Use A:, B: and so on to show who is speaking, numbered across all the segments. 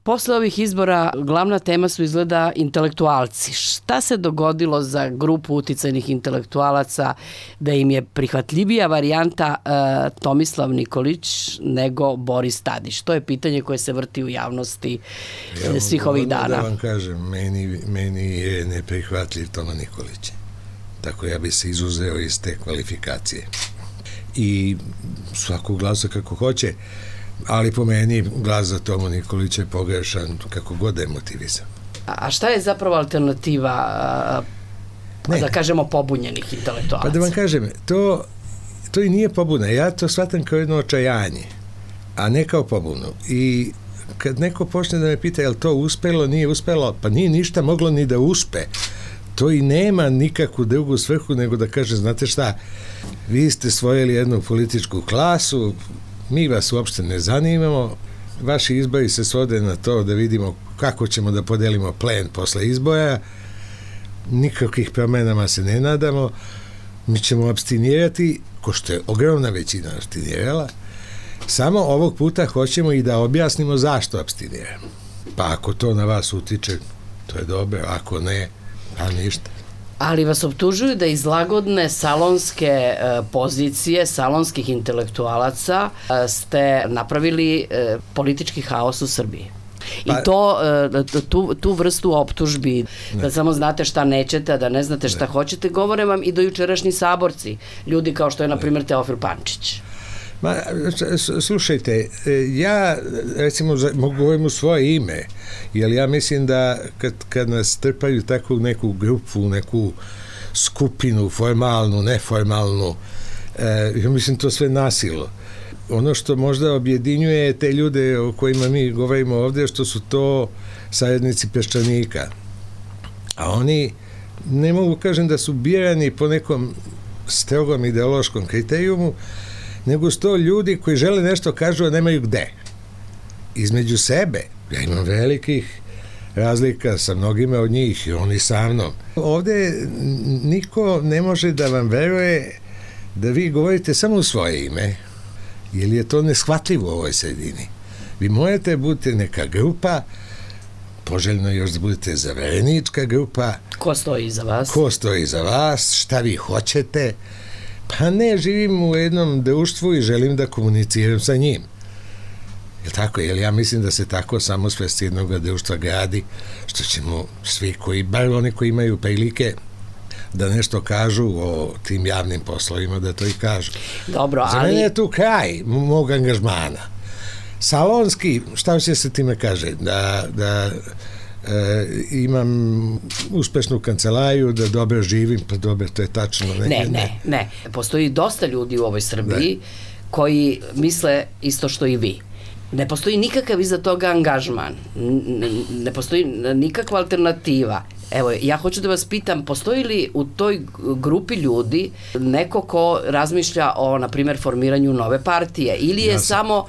A: Posle ovih izbora glavna tema su izgleda intelektualci. Šta se dogodilo za grupu uticajnih intelektualaca da im je prihvatljivija varijanta Tomislav Nikolić nego Boris Tadić? To je pitanje koje se vrti u javnosti svih ovih dana.
B: Da vam kažem, meni je neprihvatljiv Toma Nikolić. Tako ja bi se izuzeo iz te kvalifikacije. I svakog glasa kako hoće, ali po meni glas za Tomu Nikolića je pogrešan kako god je motivisan.
A: A šta je zapravo alternativa, da kažemo, pobunjenih intelektualaca?
B: Pa da vam kažem, to i nije pobuna. Ja to shvatam kao jedno očajanje, a ne kao pobunu. I kad neko počne da me pita je li to uspelo, nije uspelo, pa nije ništa moglo ni da uspe. To i nema nikakvu drugu svrhu nego da kaže, znate šta, vi ste svojili jednu političku klasu, mi vas uopšte ne zanimamo, vaši izbori se svode na to da vidimo kako ćemo da podelimo plen posle izbora, nikakvih promenama se ne nadamo, mi ćemo apstinirati, ko što je ogromna većina apstinirala, samo ovog puta hoćemo i da objasnimo zašto apstiniramo. Pa ako to na vas utiče, to je dobro, ako ne, a ništa.
A: Ali vas optužuju da iz lagodne salonske pozicije, salonskih intelektualaca ste napravili politički haos u Srbiji. I tu vrstu optužbi, da samo znate šta nećete, da ne znate šta hoćete, govore vam i dojučerašnji saborci, ljudi kao što je, na primjer, Teofil Pančić.
B: Slušajte, ja recimo govorim u svoje ime, jer ja mislim da kad nas trpaju takvu neku grupu, neku skupinu, formalnu, neformalnu, ja mislim to sve nasilo. Ono što možda objedinjuje te ljude o kojima mi govorimo ovdje, što su to sajednici Peščanika. A oni, ne mogu kažem da su birani po nekom strogom ideološkom kriterijumu, nego su to ljudi koji žele nešto kažu, a nemaju gde. Između sebe, ja imam velikih razlika sa mnogima od njih i oni sa mnom. Ovdje niko ne može da vam veruje da vi govorite samo u svoje ime, jer je to neshvatljivo u ovoj sredini. Vi morate budete neka grupa, poželjno još da budete zaverenička grupa.
A: Ko stoji iza vas?
B: Ko stoji iza vas, šta vi hoćete. Pa ne, živim u jednom društvu i želim da komuniciram sa njim. Jel tako? Jer ja mislim da se tako samosvest jednog društva gradi, što ćemo svi koji, bar oni koji imaju prilike da nešto kažu o tim javnim poslovima, da to i kažu.
A: Dobro,
B: za mene je tu kraj mog angažmana. Salonski, šta će se time kaže? Da imam uspešnu kancelariju, da dobro živim, pa dobro, to je tačno.
A: Ne. Postoji dosta ljudi u ovoj Srbiji koji misle isto što i vi. Ne postoji nikakav iza toga angažman. Ne postoji nikakva alternativa. Evo, ja hoću da vas pitam, postoji li u toj grupi ljudi neko ko razmišlja o, na primjer, formiranju nove partije? Ili je samo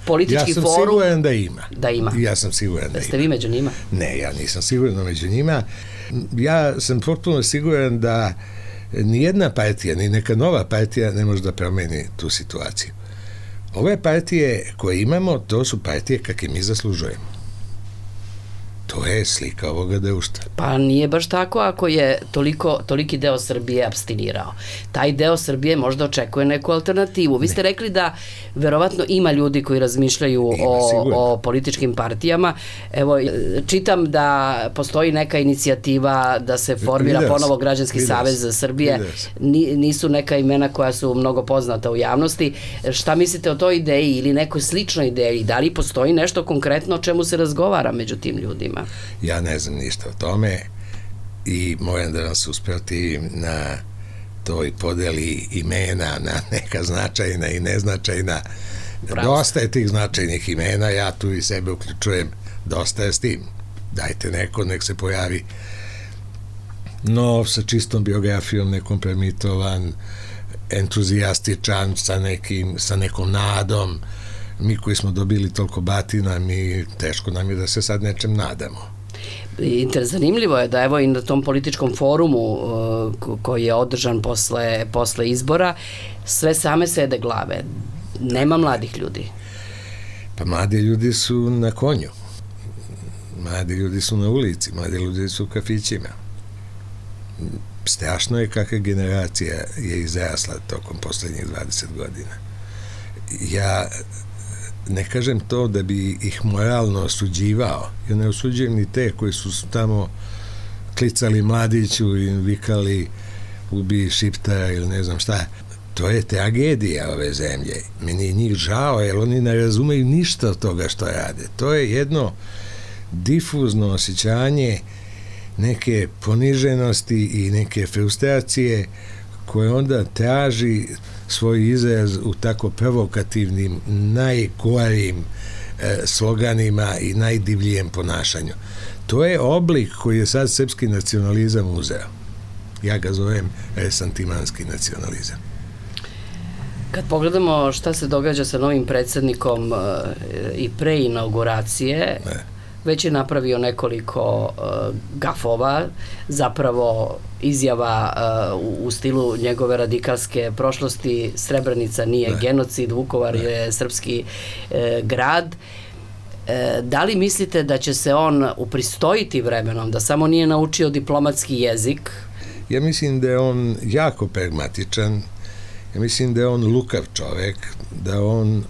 A: politički forum?
B: Ja sam siguran da ima.
A: Da ima.
B: Ja sam siguran da ima.
A: Ste vi među njima?
B: Ne, ja nisam siguran među njima. Ja sam potpuno siguran da nijedna partija, ni neka nova partija ne može da promeni tu situaciju. Ove partije koje imamo, to su partije kakve mi zaslužujemo. To je slika ovoga društva.
A: Pa nije baš tako ako je toliki deo Srbije apstinirao. Taj deo Srbije možda očekuje neku alternativu. Vi ste rekli da verovatno ima ljudi koji razmišljaju o političkim partijama. Evo, čitam da postoji neka inicijativa da se formira ponovo Građanski savez Srbije. Nisu neka imena koja su mnogo poznata u javnosti. Šta mislite o toj ideji ili nekoj sličnoj ideji? Da li postoji nešto konkretno o čemu se razgovara među tim ljudima?
B: Ja ne znam ništa o tome i moram da vam se usprotivim na toj podeli imena na neka značajna i neznačajna. Dosta je tih značajnih imena, ja tu i sebe uključujem, dosta je s tim. Dajte neko, nek se pojavi nov, sa čistom biografijom, nekompromitovan, entuzijastičan, sa nekom nadom. Mi koji smo dobili toliko batina, teško nam je da se sad nečem nadamo.
A: Zanimljivo je da evo i na tom političkom forumu koji je održan posle izbora, sve same sede glave. Nema mladih ljudi.
B: Pa mladi ljudi su na konju. Mladi ljudi su na ulici, mladi ljudi su u kafićima. Strašno je kakva generacija je izrasla tokom poslednjih 20 godina. Ja ne kažem to da bi ih moralno osuđivao. Ja ne osuđujem ni te koji su tamo klicali mladiću i vikali ubi Šiptara ili ne znam šta. To je tragedija ove zemlje. Meni je njih žao, jer oni ne razumeju ništa od toga što rade. To je jedno difuzno osjećanje neke poniženosti i neke frustracije koje onda traži svoj izraz u tako provokativnim, najgorim sloganima i najdivljijem ponašanju. To je oblik koji je sad srpski nacionalizam uzeo. Ja ga zovem resantimanski nacionalizam.
A: Kad pogledamo šta se događa sa novim predsjednikom i pre inauguracije, već je napravio nekoliko gafova, zapravo izjava u stilu njegove radikalske prošlosti, Srebrenica nije genocid, Vukovar je srpski grad. Da li mislite da će se on upristojiti vremenom, da samo nije naučio diplomatski jezik?
B: Ja mislim da je on jako pragmatičan, ja mislim da je on lukav čovek, da on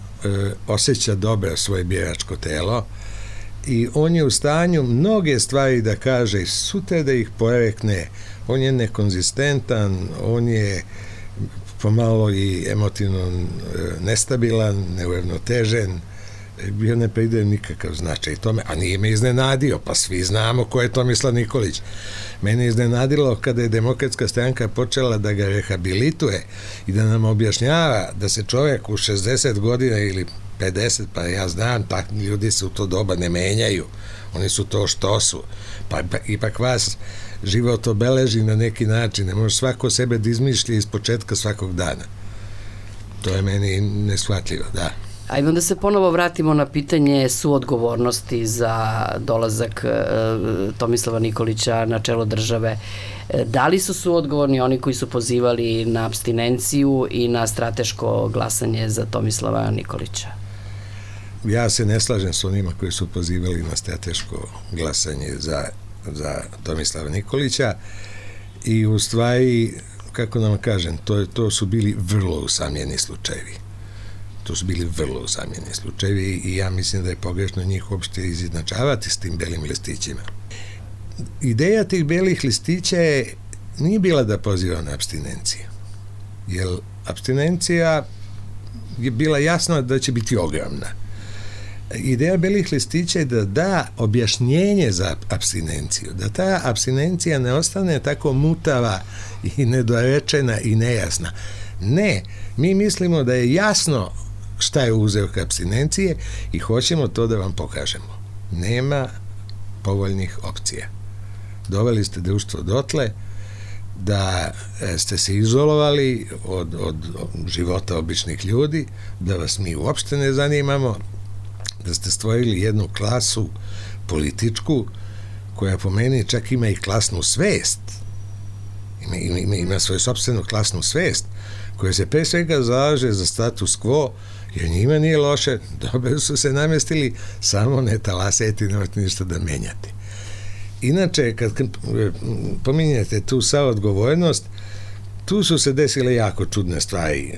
B: osjeća dobro svoje biračko telo i on je u stanju mnoge stvari da kaže i sutra da ih porekne. On je nekonzistentan, on je pomalo i emotivno nestabilan, neuravnotežen, bio ne pridaje nikakav značaj tome, a nije me iznenadio, pa svi znamo ko je Tomislav Nikolić. Mene je iznenadilo kada je Demokratska stranka počela da ga rehabilituje i da nam objašnjava da se čovjek u 60 godina ili 50, pa ja znam, tak ljudi se u to doba ne menjaju, oni su to što su, pa ipak vas život obeleži na neki način, ne može svako sebe da izmišlja iz početka svakog dana. To je meni neshvatljivo, da.
A: Ajmo da se ponovo vratimo na pitanje suodgovornosti za dolazak Tomislava Nikolića na čelo države. Da li su suodgovorni oni koji su pozivali na apstinenciju i na strateško glasanje za Tomislava Nikolića?
B: Ja se ne slažem s onima koji su pozivali na strateško glasanje za Tomislava Nikolića i u stvari, kako nam kažem, to su bili vrlo usamljeni slučajevi. To su bili vrlo usamljeni slučajevi i ja mislim da je pogrešno njih uopšte izjednačavati s tim belim listićima. Ideja tih belih listića nije bila da poziva na apstinenciju, jer apstinencija je bila jasna da će biti ogromna. Ideja belih listića je da da objašnjenje za apstinenciju, da ta apstinencija ne ostane tako mutava i nedorečena i nejasna. Ne, mi mislimo da je jasno šta je uzrok apstinencije i hoćemo to da vam pokažemo. Nema povoljnih opcija. Doveli ste društvo dotle da ste se izolovali od života običnih ljudi, da vas mi uopšte ne zanimamo, da ste stvorili jednu klasu političku koja po meni čak ima i klasnu svest. Ima svoju sopstvenu klasnu svest koja se pre svega zalaže za status quo, jer njima nije loše, dobro su se namestili, samo ne talasajte i nemojte ništa da menjate. Inače, kad pominjete tu saodgovornost, tu su se desile jako čudne stvari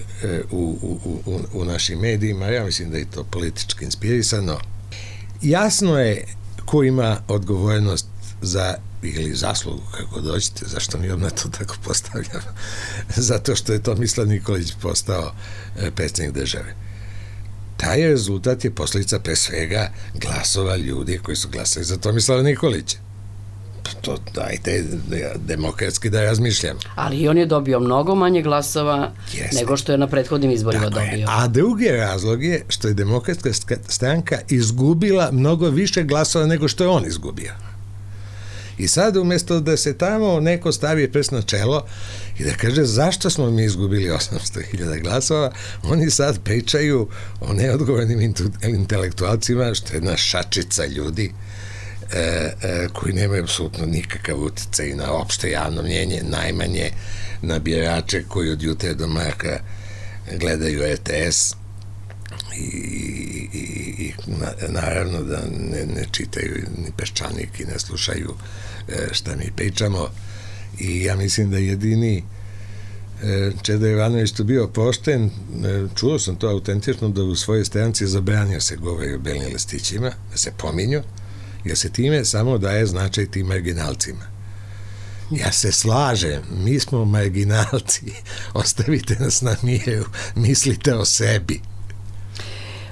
B: u našim medijima, ja mislim da je to politički inspirisano. Jasno je ko ima odgovornost za ili zaslugu, kako dođete, zašto mi odmah to tako postavljamo, zato što je Tomislav Nikolić postao predsjednik države. Taj rezultat je posljedica pre svega glasova ljudi koji su glasali za Tomislava Nikolića. To dajte demokratski da razmišljamo.
A: Ali on je dobio mnogo manje glasova nego što je na prethodnim izborima dobio.
B: A drugi razlog je što je Demokratska stranka izgubila mnogo više glasova nego što je on izgubio. I sad umjesto da se tamo neko stavi prst na čelo i da kaže zašto smo mi izgubili 800.000 glasova, oni sad pričaju o neodgovornim intelektualcima, što je jedna šačica ljudi koji nemaju apsolutno nikakav uticaj na opšte javno mnjenje, najmanje na birače koji od jutra do mraka gledaju RTS. i naravno da ne čitaju ni Peščanik i ne slušaju šta mi pričamo, i ja mislim da jedini Čeda Jovanović tu bio pošten, čuo sam to autentično, da u svojoj stranci zabranio se govori o belim listićima, da se pominju, jer se time samo daje značaj tim marginalcima. Ja se slažem, mi smo marginalci, ostavite nas na miru, mislite o sebi.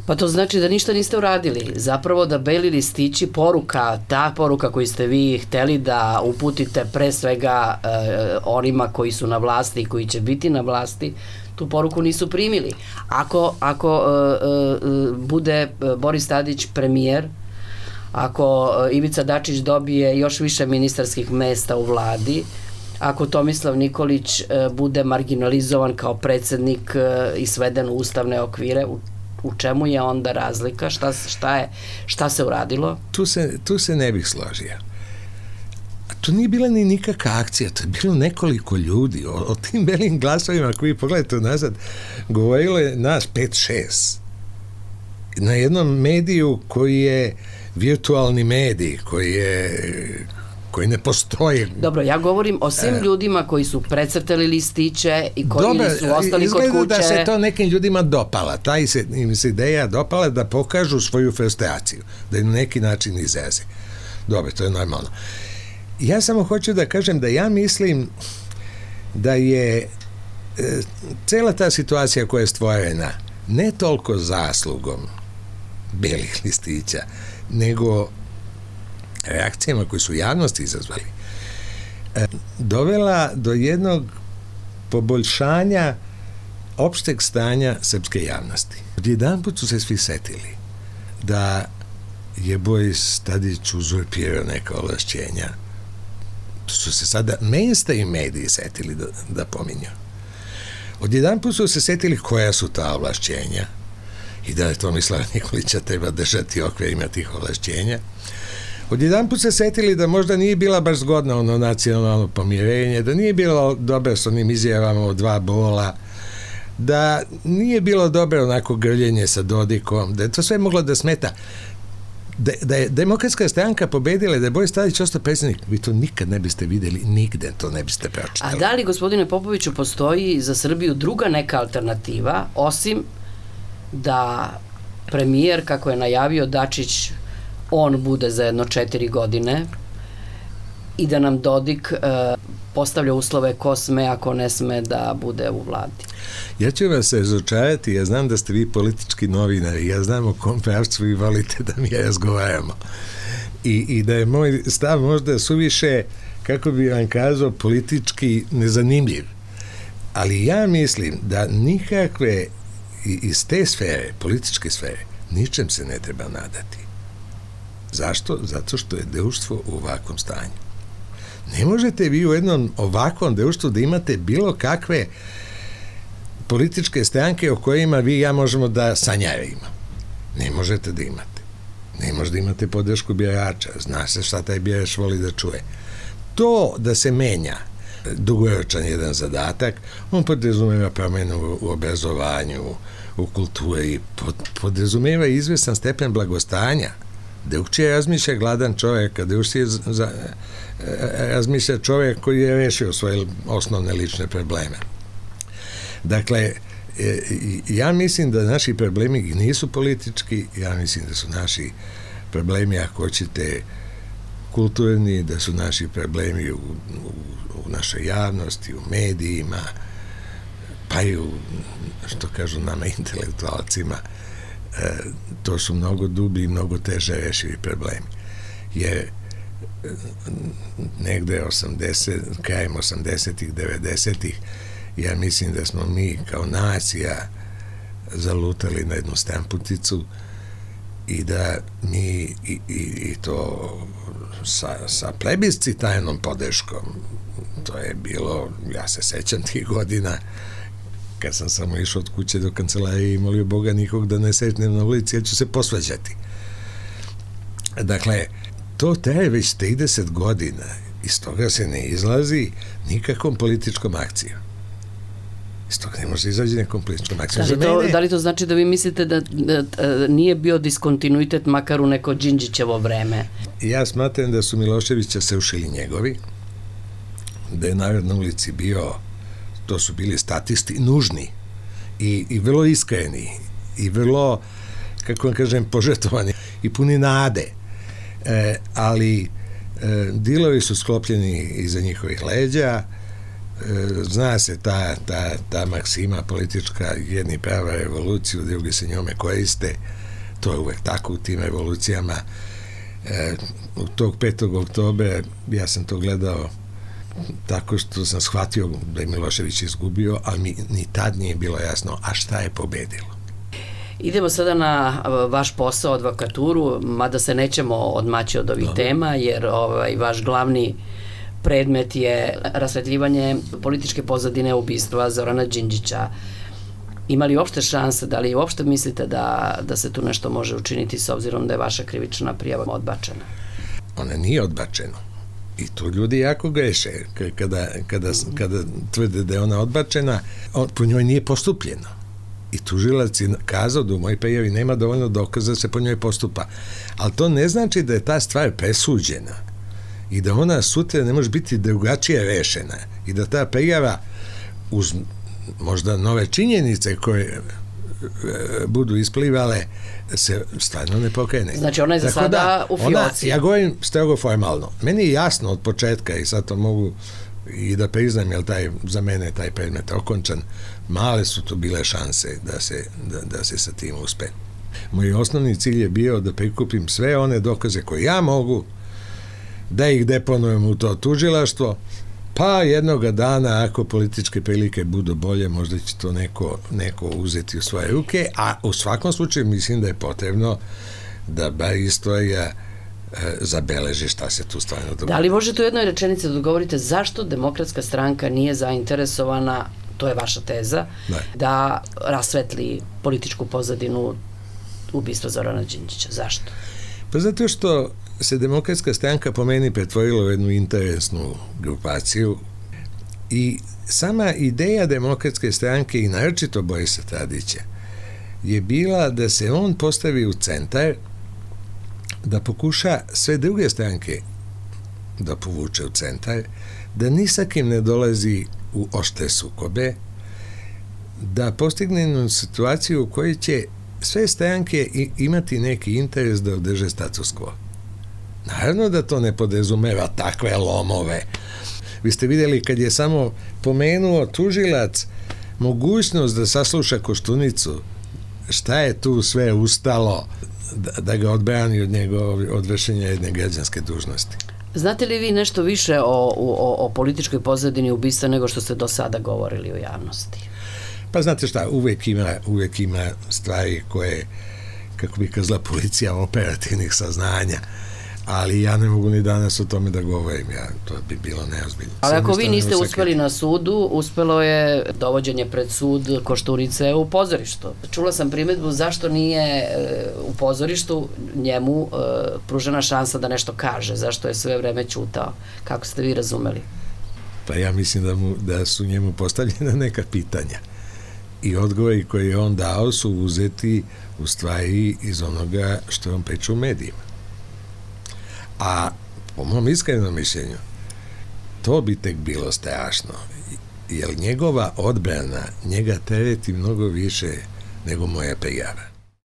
A: Pa to znači da ništa niste uradili. Zapravo da beli listići, ta poruka koju ste vi hteli da uputite pre svega onima koji su na vlasti i koji će biti na vlasti, tu poruku nisu primili. Ako bude Boris Tadić premijer, ako Ivica Dačić dobije još više ministarskih mesta u vladi, ako Tomislav Nikolić bude marginalizovan kao predsednik i sveden u ustavne okvire, u čemu je onda razlika? Šta se uradilo?
B: Tu se ne bih složio. To nije bila ni nikakva akcija, to je bilo nekoliko ljudi. O tim belim glasovima koji pogledajte nazad, govorilo je nas 5-6. Na jednom mediju koji je virtualni medij, koji ne postoji.
A: Dobro, ja govorim o svim ljudima koji su precrtali listiće i koji su ostali kod kuće.
B: Izgleda da se to nekim ljudima dopala. Im se ideja dopala da pokažu svoju frustraciju, da je na neki način izraze. Dobro, to je normalno. Ja samo hoću da kažem da ja mislim da je cela ta situacija koja je stvorena ne toliko zaslugom belih listića, nego reakcijama koje su javnosti izazvali, dovela do jednog poboljšanja opšteg stanja srpske javnosti. Odjedanput su se svi setili da je Boris Tadić uzurpirao neka ovlašćenja. Su se sada mainstream mediji setili da pominju. Odjedanput su se setili koja su ta ovlašćenja i da je Tomislava Nikolića treba držati okvirima tih ovlašćenja. Odjedanput se setili da možda nije bila baš zgodna ono nacionalno pomirenje, da nije bilo dobro s onim izjavama o 2 bola, da nije bilo dobro onako grljenje sa Dodikom, da je to sve moglo da smeta. Da je Demokratska stranka pobedila, da je Boris Tadić ostao predsjednik, vi to nikad ne biste videli, nigde to ne biste pročitali.
A: A da li, gospodine Popoviću, postoji za Srbiju druga neka alternativa, osim da premijer, kako je najavio Dačić, on bude za jedno 4 godine i da nam Dodik postavlja uslove ko sme, ako ne sme da bude u vladi?
B: Ja ću vas razočarati, ja znam da ste vi politički novinari, ja znam o kom pravcu vi volite da mi razgovaramo. I da je moj stav možda suviše, kako bi vam kazao, politički nezanimljiv. Ali ja mislim da nikakve iz te sfere, političke sfere, ničem se ne treba nadati. Zašto? Zato što je društvo u ovakvom stanju. Ne možete vi u jednom ovakvom društvu da imate bilo kakve političke stranke o kojima vi i ja možemo da sanjarimo. Ne možete da imate. Ne možete da imate podršku birača. Zna se šta taj birač voli da čuje. To da se menja dugoročan jedan zadatak, on podrazumeva promenu u obrazovanju, u kulturi, podrazumeva izvestan stepen blagostanja. Drugčije razmišlja gladan čovjek, a drugčije razmišlja čovjek koji je rešio svoje osnovne lične probleme. Dakle, ja mislim da naši problemi nisu politički, ja mislim da su naši problemi, ako hoćete, kulturni, da su naši problemi u našoj javnosti, u medijima, pa i u, što kažu nama, intelektualcima. To su mnogo dublji i mnogo teže rešivi problemi. Jer negde krajem 80-ih, 90-ih, ja mislim da smo mi kao nacija zalutali na jednu stamputicu i da mi i to sa plebiscitarnom podrškom, to je bilo, ja se sećam tih godina, kad sam samo išao od kuće do kancelarije i molio Boga nikog da ne sečnem na ulici, ja ću se posvađati. Dakle, to traje već 30 godina, iz toga se ne izlazi nikakvom političkom akcijom. Iz toga ne može izaći nekom političkom akcijom.
A: Da li to znači da vi mislite da nije bio diskontinuitet makar u neko Đinđićevo vreme?
B: Ja smatram da su Miloševića se ušili njegovi, da je narod na ulici bio, to su bili statisti, nužni i vrlo iskreni i vrlo, kako vam kažem, požrtvovani i puni nade. Ali dilovi su sklopljeni iza njihovih leđa. Zna se ta maksima politička, jedni prava revoluciju, drugi se njome koriste. To je uvek tako u tim revolucijama. U tog 5. oktobra ja sam to gledao tako što sam shvatio da je Milošević izgubio, ali mi ni tad nije bilo jasno, a šta je pobedilo.
A: Idemo sada na vaš posao, advokaturu, mada se nećemo odmaći od ovih tema, jer vaš glavni predmet je rasvetljivanje političke pozadine ubistva Zorana Đinđića. Ima li uopšte šanse, da li uopšte mislite da se tu nešto može učiniti s obzirom da je vaša krivična prijava odbačena?
B: Ona nije odbačena. I tu ljudi jako greše. Kada tvrde da je ona odbačena, po njoj nije postupljeno. I tužilac je kazao da u mojoj prijavi nema dovoljno dokaza da se po njoj postupa. Ali to ne znači da je ta stvar presuđena i da ona sutra ne može biti drugačije rešena i da ta prijava uz možda nove činjenice koje budu isplivale se stvarno ne pokrene.
A: Znači ona je za sada u fioci.
B: Ja govorim strogo formalno. Meni je jasno od početka i sad to mogu i da priznam, jer za mene taj predmet okončan, male su tu bile šanse da se sa tim uspe. Moj osnovni cilj je bio da prikupim sve one dokaze koje ja mogu, da ih deponujem u to tužilaštvo, pa jednoga dana, ako političke prilike budu bolje, možda će to neko uzeti u svoje ruke, a u svakom slučaju mislim da je potrebno da bar istorija zabeleži šta se tu stvarno dogodilo.
A: Da li možete u jednoj rečenici da odgovorite zašto Demokratska stranka nije zainteresovana, to je vaša teza, da rasvetli političku pozadinu ubistva Zorana Đinđića? Zašto?
B: Pa zato što se Demokratska stranka po meni pretvorila u jednu interesnu grupaciju i sama ideja Demokratske stranke i naročito Borisa Tadića je bila da se on postavi u centar, da pokuša sve druge stranke da povuče u centar, da ni sa kim ne dolazi u oštre sukobe, da postigne situaciju u kojoj će sve stranke imati neki interes da održe status quo. Naravno da to ne podrazumeva takve lomove. Vi ste vidjeli kad je samo pomenuo tužilac mogućnost da sasluša Koštunicu, šta je tu sve ustalo da ga odbrani od vršenja jedne građanske dužnosti.
A: Znate li vi nešto više o političkoj pozadini ubistva nego što ste do sada govorili u javnosti?
B: Pa znate šta, uvijek ima stvari koje, kako bi kazala policija, operativnih saznanja, ali ja ne mogu ni danas o tome da govorim, to bi bilo neozbiljno.
A: Ali ako vi niste uspeli na sudu, uspelo je dovođenje pred sud Koštunice u pozorištu. Čula sam primedbu zašto nije u pozorištu njemu pružena šansa da nešto kaže, zašto je sve vreme ćutao. Kako ste vi razumeli?
B: Pa ja mislim da su njemu postavljena neka pitanja i odgovori koje je on dao su uzeti u stvari iz onoga što je on priča u medijima. A po mom iskrenom mišljenju to bi tek bilo strašno, jer njegova odbrana njega tereti mnogo više nego moja prijava.